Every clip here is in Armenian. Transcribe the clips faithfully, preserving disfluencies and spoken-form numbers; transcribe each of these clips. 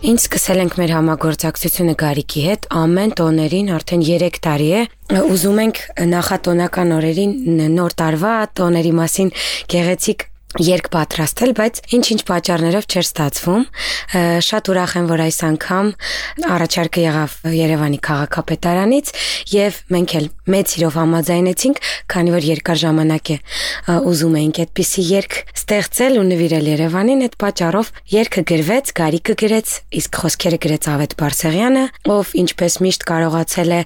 Ինչ սկսել ենք մեր համագործակցությունը Գարիկի հետ, ամեն տոներին արդեն երեք տարի է, ուզում ենք նախատոնական օրերին նոր տարվա տոների մասին գեղեցիկ երգ պատրաստել, բայց ինչ-ինչ պատճառներով չէր ստացվում, շատ ուրախ եմ, որ այս անգամ առաջարկը եղավ Երևանի քաղաքապետարանից եւ մենք էլ մեծ սիրով համաձայնեցինք, քանի որ երկար ժամանակ է ուզում էինք այդպիսի երգ ստեղծել ու նվիրել Երևանին, այդ պատճառով երգը գրվեց, Գարիկը գրեց, իսկ խոսքերը գրեց Ավետ Բարսեղյանը, ով ինչպես միշտ կարողացել է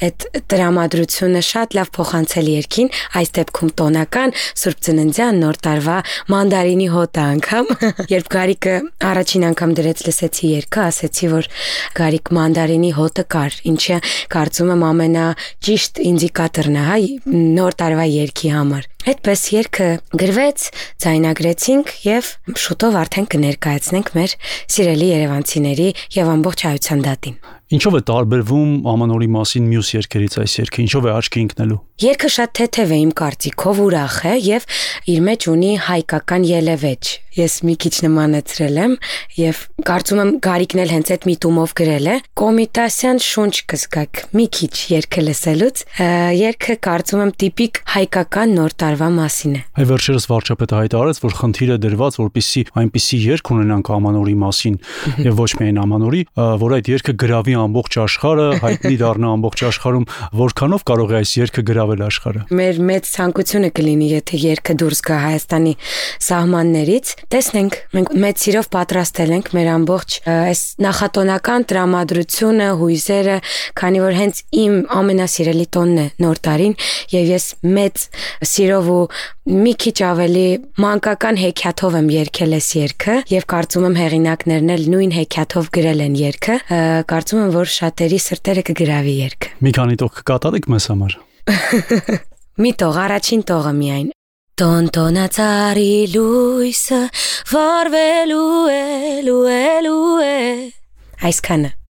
այդ տրամադրությունը շատ լավ փոխանցել երգին, այս դեպքում տոնական Սուրբ Ծննդյան նոր տարվա մանդարինի հոտը անգամ, երբ Գարիկը առաջին անգամ դրեց լսեցի երգը, ասեցի, որ Գարիկ մանդարինի հոտը կար, ինչը կարծում եմ ամենաճիշտ ինդիկատորն է, հա, նոր տարվա երգի համար։ Այդպես երգը գրվեց, ձայնագրեցինք եւ շուտով արդեն կներկայացնենք մեր սիրելի երևանցիների եւ ամբողջ հայության դատին։ Ինչով է տարբերվում Ամանորի մասին մյուս երգերից այս երգը, ինչով է աչքի ընկնելու։ Երգը շատ թեթև է իմ կարծիքով, ուրախ է եւ իր մեջ ունի հայկական ելևեջ։ Ես մի քիչ նմանեցրել եմ եւ կարծում եմ Գարիկն էլ հենց այդ միտումով գրել է։ Կոմիտասյան շունչ կզգաք մի քիչ երգը լսելուց։ Երգը կարծում եմ տիպիկ հայկական նոր տարվա մասին է։ Այ վերջերս վարչապետը հայտարարեց, որ խնդիր է դրված, որպեսզի այնպիսի երգ ունենանք Ամանորի մասին եւ ոչ միայն Ամանորի, որ այդ երգը գրավի ամբողջ աշխարհը, հայտնի դառնա ամբողջ աշխարհում, որքանով կարող է այս երգը գրավել աշխարհը։ Մեր մեծ ցանկությունը կլինի, եթե երգը դուրս գա Հայաստանի սահմաններից, տեսնենք, մենք մեծ սիրով պատրաստել ենք մեր ամբողջ այս նախատոնական տրամադրությունը, հույզերը, քանի որ հենց իմ ամենասիրելի տոնն է նոր տարին եւ ես մեծ սիրով ու մի քիչ ավելի մանկական հեքիաթով եմ երգել այս երգը եւ կարծում եմ հեղինակներն էլ նույն հեքիաթով գրել են երգը, կարծում եմ, որ շատերի սրտերը կգրավի երգը։ Մի քանի տող կկատարեք մեզ համար։ Մի տող, առաջին տողը միայն։ Տոն-տոնածառի լույսը վառվելու է, լուելու է։ Այսքանը։